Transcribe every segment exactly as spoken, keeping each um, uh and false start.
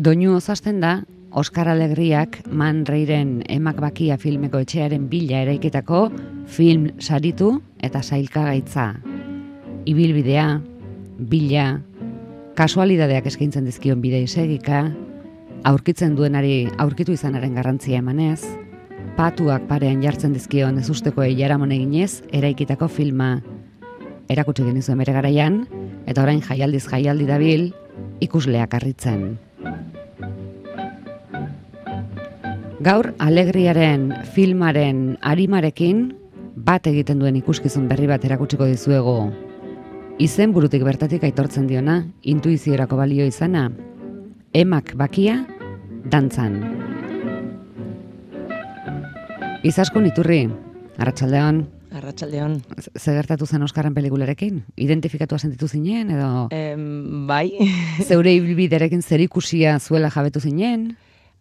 Doinu osasten da, Oskar Alegriak Man Rayren Emak Bakia filmeko etxearen bila eraikitako film saritu eta sailkagaitza. Ibilbidea, bila, kasualidadeak eskaintzen dizkion bide isegika, aurkitzen duenari aurkitu izanaren garrantzia emanez, patuak parean jartzen dizkion ezustekoei jaramon eginez eraikitako filma. Erakutsi genizuen bere garaian, eta orain jaialdiz jaialdi dabil ikusleak harritzen. Gaur Alegriaren filmaren arimarekin bat egiten duen ikuskizun berri bat erakutsiko dizuegu. Izen burutik bertatik aitortzen diona, intuiziorako balio izana, Emak Bakia dantzan. Izaskun Iturri, arratsaldeon. Arratsaldeon. Ze gertatu zen Oskarren pelikularekin? Identifikatua sentitu zinen edo? Em, bai. Zeure ibilbidearekin zerikusia zuela jabetu zinen?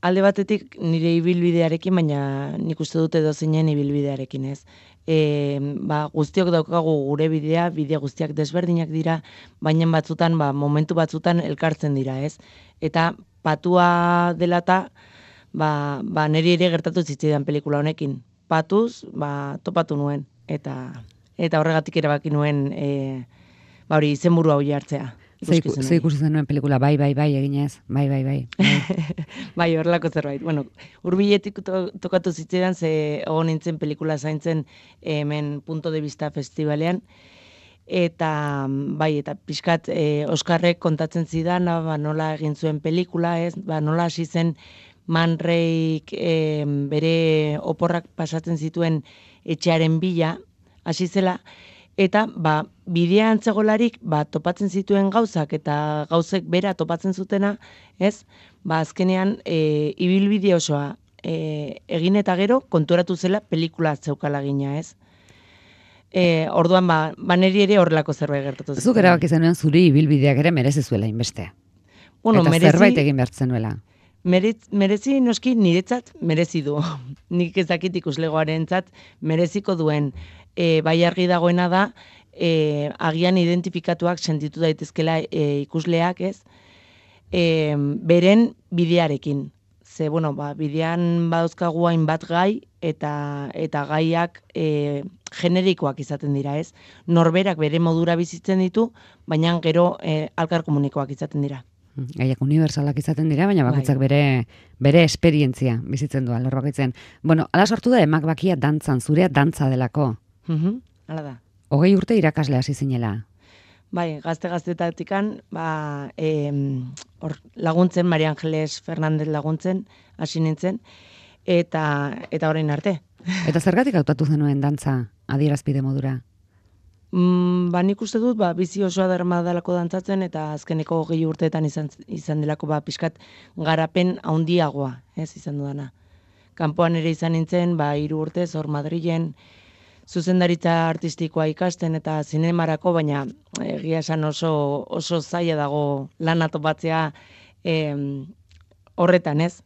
Alde batetik nire ibilbidearekin, baina nik uste dut edo zinen ibilbidearekin, ez. E, ba, guztiok daukagu gure bidea, bide guztiak desberdinak dira, baina batzutan, ba, momentu batzutan elkartzen dira, ez. Eta patua dela eta, ba, ba, niri ere gertatu zitzaidan pelikula honekin. Patuz, ba, topatu nuen, eta eta horregatik erabaki nuen, e, ba, hori izenburu hau jartzea. Ze ikusi zenuen pelikula, bai, bai, bai, eginez, bai, bai, bai. Bai, horrelako zerbait. Bueno, hurbiletik to, tokatu zitzaidan, ze egon nintzen pelikula zaintzen hemen Punto de Vista festivalean, eta bai, eta pixkat e, Oskarrek kontatzen zidan, ba, nola egin zuen pelikula, ez, ba, nola hasi zen Man Rayk e, bere oporrak pasatzen zituen etxearen bila, hasi zela, eta ba, bidean zegolarik ba, topatzen zituen gauzak eta gauzek bera topatzen zutena, ez? Ba, azkenean e, ibilbide osoa e, egin eta gero konturatu zela pelikula zeukala gina, ez? E, orduan, ba, ba neri ere horrelako zerbait gertatu zuten. Zuk erabaki zenuen zuri ibilbideak ere merezi zuela inbeste. Bueno, eta merezi, zerbait egin behar zenuela. Merez, merezi noski niretzat merezi du. Nik ezakit ikuslegoarentzat mereziko duen. E, bai argi dagoena da, e, agian identifikatuak sentitu daitezkela e, ikusleak, ez? E, beren bidearekin. Ze, bueno, ba, bidean badauzkagu hainbat gai, eta eta gaiak e, generikoak izaten dira, ez? Norberak bere modura bizitzen ditu, baina gero e, alkar komunikoak izaten dira. Gaiak unibersalak izaten dira, baina bakoitzak bere bere esperientzia bizitzen du alor bakoitzen. Bueno, ala sortu da Emak Bakia dantzan, zurea dantza delako. Mhm, hala da. Hogei urte irakasle hasi zinela. Bai, gazte-gaztetatikan, ba, e, or, laguntzen, Maria Angeles Fernandez laguntzen, hasi nintzen, eta eta orain arte. Eta zergatik hautatu zenuen dantza adierazpide modura? Mm, ba, nik uste dut, ba, bizi osoa darma dalako dantzatzen, eta azkeneko hogei urteetan izan, izan delako, ba, pixkat garapen handiagoa, ez izan dudana. Kanpoan ere izan nintzen, ba, hiru urtez, hor Madrilen, zuzendaritza artistikoa ikasten eta zinemarako, baina egia esan oso, oso zaila dago lana topatzea eh, horretan, ez?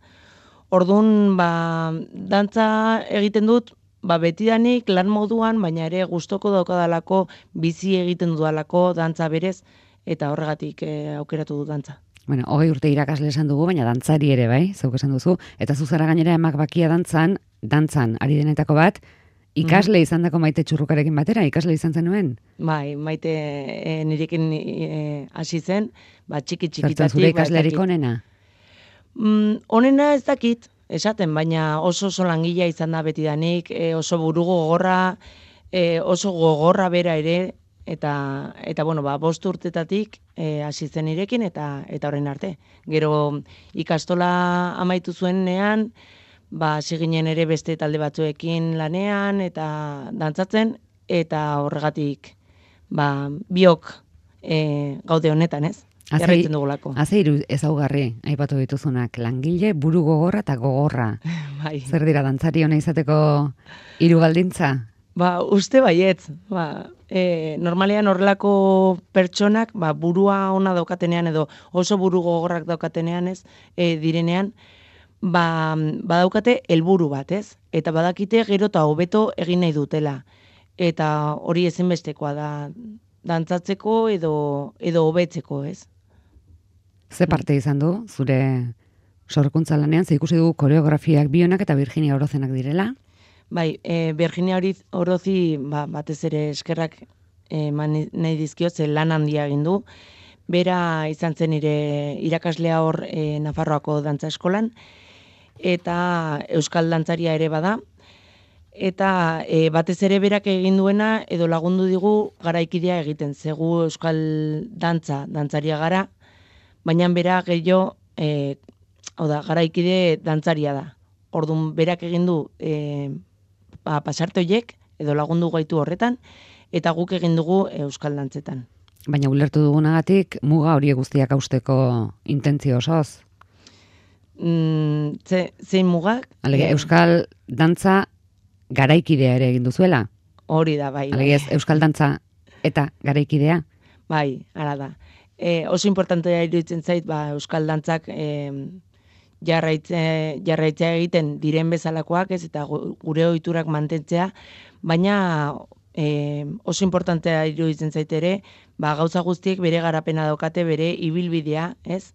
Orduan, ba, dantza egiten dut, ba, betidanik lan moduan, baina ere gustoko daukadalako, bizi egiten dudalako dantza berez, eta horregatik eh, aukeratu du dantza. Bueno, hogei urte irakasle esan dugu, baina dantzari ere, bai, zeuk esan duzu, eta zuzara gainera Emak Bakia dantzan, dantzan ari denetako bat, ikasle mm. izan dako Maite Txurrukarekin batera, ikasle izan zenuen? Bai, Maite e, nirekin hasi e, zen, ba, txiki txikitatik. Zertan zure ikaslerik ba, onena? Mm, onena ez dakit, esaten, baina oso oso langilea izan da betidanik, e, oso buru gogorra, e, oso gogorra bera ere, eta, eta bueno, ba, bost urtetatik e, hasi zen nirekin, eta eta orain arte. Gero ikastola amaitu zuenean, ba, hasi ginen ere beste talde batzuekin lanean eta dantzatzen, eta horregatik ba, biok e, gaude honetan, ez? Jarraitzen dugulako. Haze hiru ezaugarri aipatu dituzunak, langile, buru gogorra eta gogorra. Bai. Zer dira dantzari ona izateko hiru baldintza? Ba, uste baietz. Ba, e, normalean horrelako pertsonak, ba, burua ona daukatenean edo oso buru gogorrak daukatenean, ez, e, direnean, ba, badaukate helburu bat, ez? Eta badakite gero eta hobeto egin nahi dutela. eta hori ezinbestekoa da dantzatzeko edo edo hobetzeko, ez? Ze parte izan du zure sorkuntza lanean, ze ikusi dugu koreografiak Bionak eta Virginia Orozenak direla? Bai, e, Virginia Orozi ba, batez ere eskerrak eman nahi dizkiot, ze lan handia egin du. Bera izan zen nire irakaslea hor e, Nafarroako dantza eskolan, eta euskal dantzaria ere bada, eta e, batez ere berak egin duena edo lagundu digu garaikidea egiten, zegu euskal dantza, dantzaria gara, baina bera gehiago, e, hau da, garaikide dantzaria da. Orduan berak egin du e, ba, pasarte horiek, edo lagundu gaitu horretan, eta guk egin dugu euskal dantzetan. Baina ulertu dugunagatik, muga horiek guztiak hausteko intentzio osoz? Mm, ze, zein mugak? Alege, e, euskal dantza garaikidea ere egin duzuela? Hori da, bai. Alege, ez, euskal dantza eta garaikidea? Bai, ara da. E, oso importantea iruditzen zait, ba, euskal dantzak e, jarraitze, jarraitzea egiten diren bezalakoak, ez, eta gure ohiturak mantentzea, baina e, oso importantea iruditzen zait ere, ba, gauza guztiek bere garapena daukate, bere ibilbidea, ez?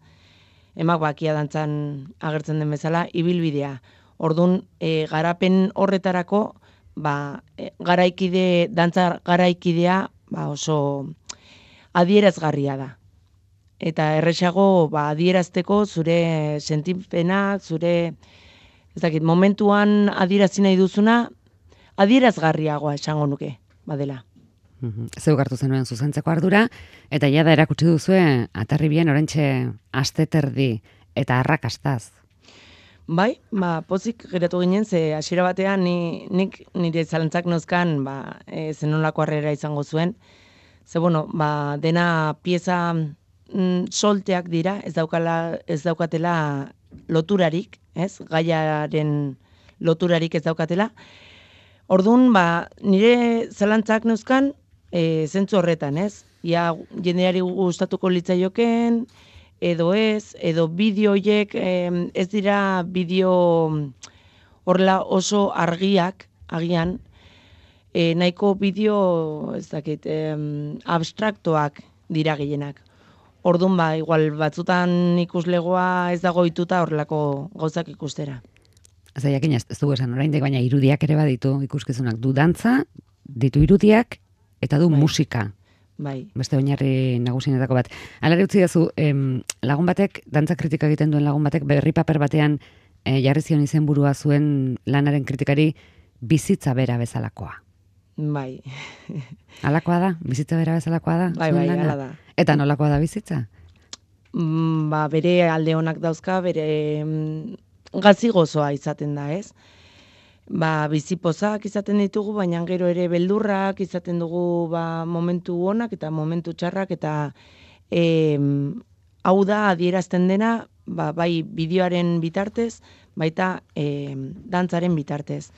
Emak bakia dantzan agertzen den bezala, ibilbidea. Orduan, e, garapen horretarako, ba, e, garaikide, dantza garaikidea, ba, oso adierazgarria da. Eta erresago ba, adierazteko zure sentipenak, zure, ez dakit, momentuan adierazi nahi duzuna, adierazgarriagoa esango nuke, badela. Zeu hartu zenuen zuzentzeko ardura, eta jada erakutsi duzue, atarri bien orentxe asteterdi eta arrakastaz. Bai, ba, pozik geratu ginen, ze hasiera batean ni, nik nire zalantzak nozkan ba, e, zenolako harrera izango zuen. Ze, bueno, ba, dena pieza mm, solteak dira, ez daukala, ez daukatela loturarik, ez? Gaiaren loturarik ez daukatela. Orduan, ba, nire zalantzak neuzkan, e, zentzu horretan, ez? Ia jendeari gustatuko litzaioken, edo ez, edo bideoiek e, ez dira bideo horrela oso argiak, agian, e, nahiko bideo, ez dakit, e, abstraktoak dira gehienak. Orduan, ba, igual batzutan ikuslegoa ez dago ituta horrelako gauzak ikustera. Zaiakin ez, ez dugu esan oraindik, baina irudiak ere baditu ikuskizunak. Du dantza, ditu irudiak, eta du bai. musika. Bai. Beste oinarri nagusienetako bat. Hala utzi dazu, em, lagun batek, dantza kritika egiten duen lagun batek, berri paper batean e, jarri zion izenburua zuen lanaren kritikari bizitza bera bezalakoa. Bai. Halakoa da? Bizitza bera bezalakoa da? Bai, bai, hala da. Eta nolakoa da bizitza? Mm, ba, bere alde honak dauzka, bere mm, gazi gozoa izaten da, ez? Ba, bizipozak izaten ditugu, baina gero ere beldurrak izaten dugu ba, momentu onak eta momentu txarrak, eta e, hau da adierazten dena, ba, bai bideoaren bitartez, baita e, dantzaren bitartez.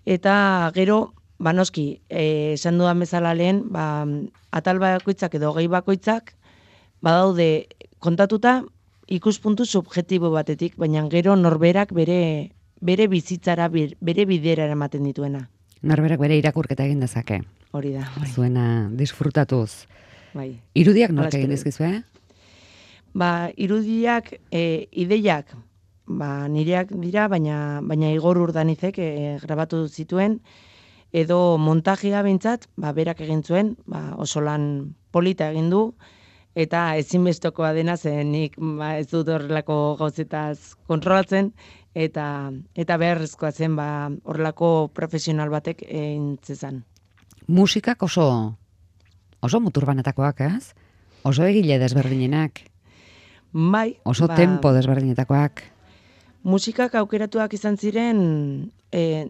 Eta gero, ba noski, e, esan dudan bezala lehen, ba, atal bakoitzak edo gehi bakoitzak, badaude kontatuta ikuspuntu subjektibo batetik, baina gero norberak bere bere bizitzara, bere bidera ematen dituena. Norberak bere irakurketa egin dezake. Hori da. Bai. Zuena disfrutatuz. Bai. Irudiak nork egin dizkizue? Ba, irudiak, e, ideiak, ba, nireak dira, baina, baina Igor Urdanizek e, grabatu zituen, edo montajea bintzat, ba, berak egin zuen, ba, oso lan polita egin du, eta ezinbestekoa dena zen nik ba, ez dut horrelako gauzetaz kontrolatzen, eta eta beharrezkoa zen ba, horrelako profesional batek egin zezan. Musikak oso oso muturbanetakoak, ez? Oso egile desberdinenak. Bai. Oso ba, tempo desberdinetakoak. Musikak aukeratuak izan ziren e,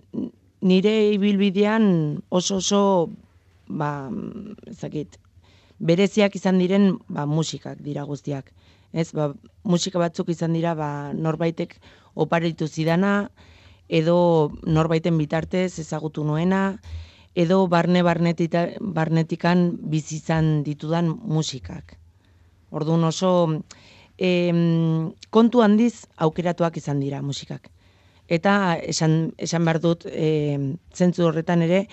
nire ibilbidean oso oso ba, ezakit, bereziak izan diren ba, musikak dira guztiak. Ez, ba, musika batzuk izan dira ba, norbaitek oparitu zidana, edo norbaiten bitartez ezagutu nuena, edo barne barnetita, barnetikan bizizan ditudan musikak. Orduan oso em, kontu handiz aukeratuak izan dira musikak. Eta esan, esan behar dut, e, zentzu horretan ere,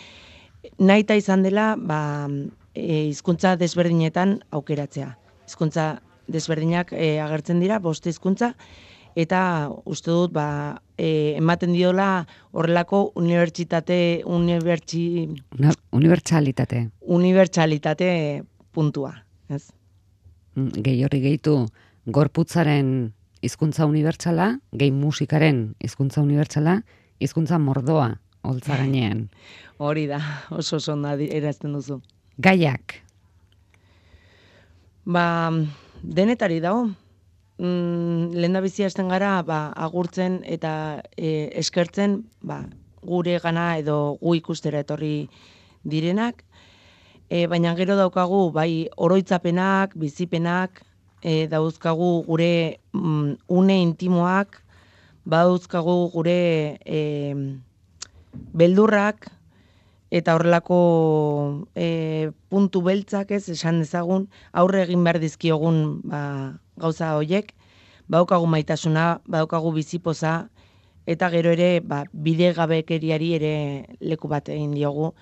nahita izan dela, ba, e, hizkuntza desberdinetan aukeratzea. Hizkuntza desberdinak e, agertzen dira, bost hizkuntza, eta uste dut, ba, e, ematen diola horrelako unibertsitate, unibertsi... Una, unibertsalitate. Unibertsalitate puntua, ez? Gehi horri gehitu gorputzaren hizkuntza unibertsala, gehi musikaren hizkuntza unibertsala, hizkuntza mordoa, holtza gainean. Hori da, oso oso ondo erazten duzu. Gaiak. Ba, denetari dago. Mm, lehen da bizi hasten gara, ba, agurtzen eta e, eskertzen, ba, gure gana edo gu ikustera etorri direnak. E, baina gero daukagu, bai, oroitzapenak, bizipenak, e, dauzkagu gure mm, une intimoak, badauzkagu gure e, beldurrak, eta horrelako e, puntu beltzak, ez, esan dezagun, aurre egin behar dizkiogun ba, gauza hoiek, badaukagu maitasuna, badaukagu bizipoza, eta gero ere ba, bide gabekeriari ere leku bat egin diogu,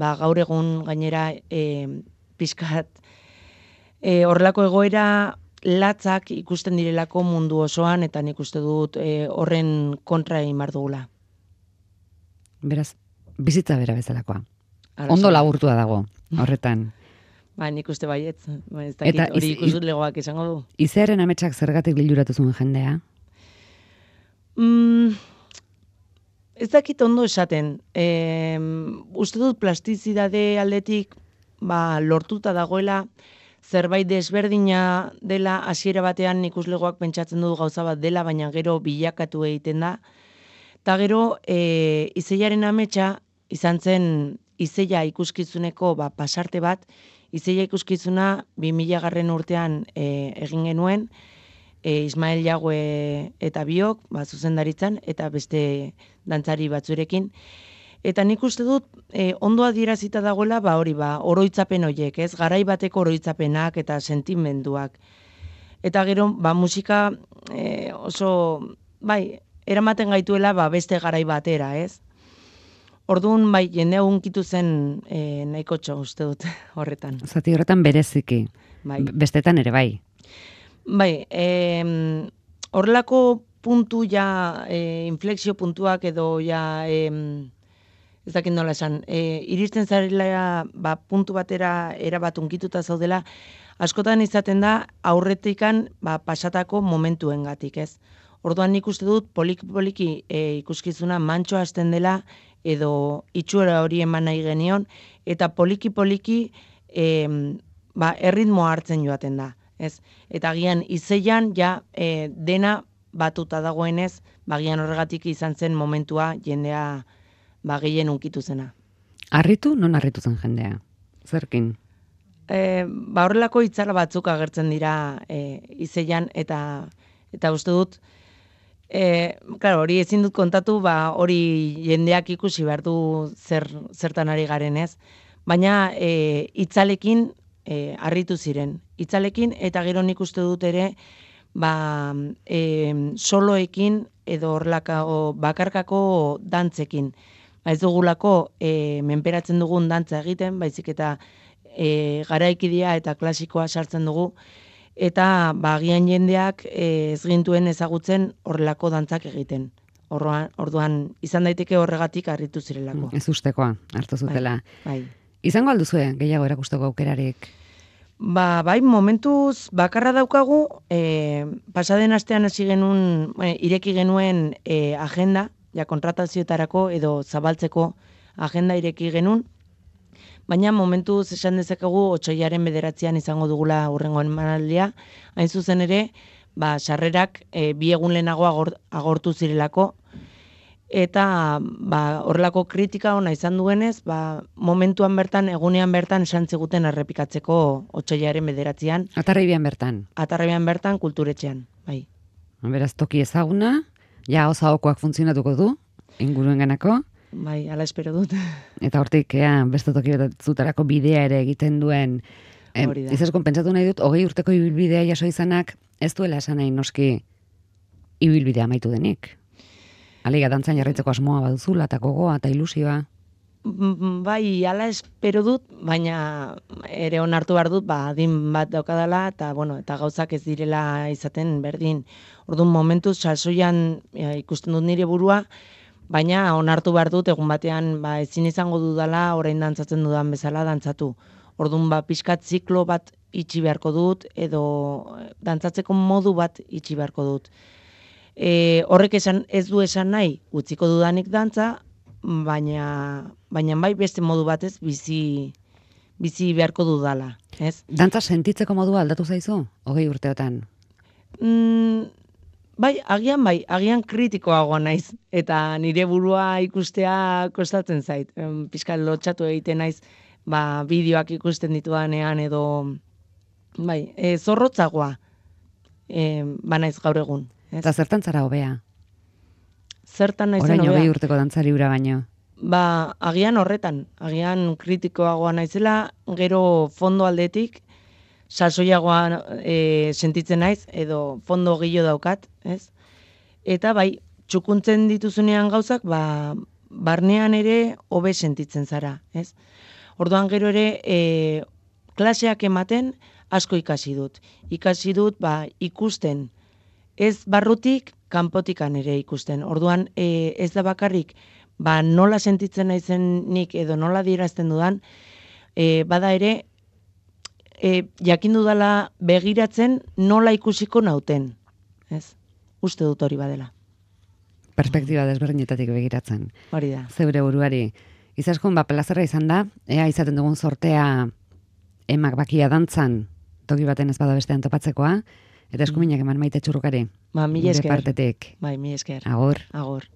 ba, gaur egun gainera e, pixkat e, horrelako egoera latzak ikusten direlako mundu osoan, eta nik uste dut e, horren kontra egin behar dugula. Beraz, bizitza bera bezalakoa. Ondo laburtua dago, horretan. Ba, nik uste baietz. Ba, ez dakit, hori ikusut legoak izango du. Izearen ametsak zergatik liluratu zuen jendea? Mm, ez dakit ondo esaten. E, uste dut plastizidade aldetik ba, lortuta dagoela, zerbait desberdina dela, hasiera batean ikuslegoak pentsatzen du gauza bat dela, baina gero bilakatu egiten da. Eta gero, e, Izeiaren ametsa izan zen Izeia ikuskizuneko ba, pasarte bat, Izeia ikuskizuna bi mila garren urtean e, egin genuen, e, Ismael Jagüe eta biok, ba, zuzendaritzan, eta beste dantzari batzurekin. Eta nik uste dut, e, ondo adierazita dagoela, ba, hori, ba, oroitzapen horiek, ez? Garai bateko oroitzapenak eta sentimenduak. Eta gero, ba, musika e, oso, bai, eramaten gaituela, ba, beste garai batera, ez? Orduan, bai, jendea unkitu zen e, nahiko txo, uste dut, horretan. Zati horretan bereziki, bai. Bestetan ere bai. Bai, e, horrelako puntu ja, e, inflexio puntuak edo ja, e, ez dakit nola esan, e, iristen zarela ba, puntu batera erabat unkituta zaudela, askotan izaten da aurretikan ba, pasatako momentuengatik, ez? Orduan nik uste dut poliki-poliki e, ikuskizuna mantxo hasten dela, edo itxura hori eman nahi genion, eta poliki-poliki e, ba, erritmoa hartzen joaten da. Ez? Eta gian Izeian ja e, dena batuta dagoenez, bagian horregatik izan zen momentua jendea ba, gehien unkitu zena. Harritu, non harritu zen jendea? Zerkin? E, ba, horrelako itzala batzuk agertzen dira e, Izeian, eta, eta uste dut, E, claro, hori ezin dut kontatu, ba, hori jendeak ikusi behar du zer, zertan ari garen, ez? Baina e, itzalekin e, harritu ziren. Itzalekin eta gero nik uste dut ere ba, e, soloekin edo horlako bakarkako dantzekin. Ba, ez dugulako e, menperatzen dugun dantza egiten, baizik eta e, garaikidia eta klasikoa sartzen dugu, eta bagian jendeak e, ez gintuen ezagutzen horrelako dantzak egiten. Orduan, orduan izan daiteke horregatik harritu zirelako. Ez ustekoa, hartu zutela. Bai, bai. Izango alduzue gehiago erakusteko aukerarik? Ba, bai, momentuz bakarra daukagu, e, pasaden astean hasi genuen, e, ireki genuen e, agenda, ja kontratazioetarako edo zabaltzeko agenda ireki genuen, baina momentuz esan dezakegu otsoilaren bederatzean izango dugula hurrengo emanaldia, hain zuzen ere, ba, sarrerak e, bi egun lehenago agor, agortu zirelako, eta ba, horrelako kritika ona izan duenez, ba, momentuan bertan, egunean bertan esan ziguten errepikatzeko otsoilaren bederatzean. Atarribian bertan? Atarribian bertan, kulturetxean, bai. Beraz, toki ezaguna, ja osaokoak funtzionatuko du, inguruen ganako. Bai, ala espero dut. Eta hortik, ea, beste toki batzutarako bidea ere egiten duen, eh, izazkon pentsatu nahi dut, hogei urteko ibilbidea jaso izanak, ez duela esan nahi noski ibilbidea amaitu denik. Aliga dantzan jarraitzeko asmoa baduzula, eta gogoa, eta ilusioa. bai, ala espero dut, baina ere onartu behar dut, ba, adin bat daukadala, eta, bueno, eta gauzak ez direla izaten berdin. Orduan momentuz, salsoian e, ikusten dut nire burua, baina onartu behar dut, egun batean, ba, ezin izango dudala, orain dantzatzen dudan bezala dantzatu. Orduan, ba, pixkat ziklo bat itxi beharko dut, edo dantzatzeko modu bat itxi beharko dut. E, horrek esan, ez du esan nahi, utziko dudanik dantza, baina baina bai beste modu batez bizi bizi beharko dudala, ez? Dantza sentitzeko modua aldatu zaizu hogei urteotan? Mm, bai, agian bai, agian kritikoagoa naiz eta nire burua ikustea kostatzen zait. Pixkat lotxatu egiten naiz, ba bideoak ikusten ditudanean edo bai, e, zorrotzagoa e, ba naiz gaur egun, ez? Eta zertan zara hobea? Zertan naizen Orain hobea? hogei urteko dantzari hura baino. Ba, agian horretan, agian kritikoagoa naizela, gero fondo aldetik, salsoiagoa e, sentitzen naiz, edo fondo gehiago daukat, ez? Eta bai, txukuntzen dituzunean gauzak, ba, barnean ere hobe sentitzen zara, ez? Orduan gero ere, e, klaseak ematen asko ikasi dut. Ikasi dut, ba, ikusten, ez barrutik, kanpotikan ere ikusten. Orduan, e, ez da bakarrik, ba, nola sentitzen naizen nik edo nola adierazten dudan, e, bada ere, e, jakin dudala begiratzen nola ikusiko nauten. Ez? Uste dut hori badela. Perspektiba desberdinetatik begiratzen. Hori da. Zeure buruari. Izaskun, ba, plazerra izan da, ea izaten dugun sortea emak bakia dantzan, toki baten ez bada bestean topatzekoa, eta eskuminak eman Maite Txurrukari. Ba, mila esker. Gure partetik. Bai, mila esker. Agur. Agur.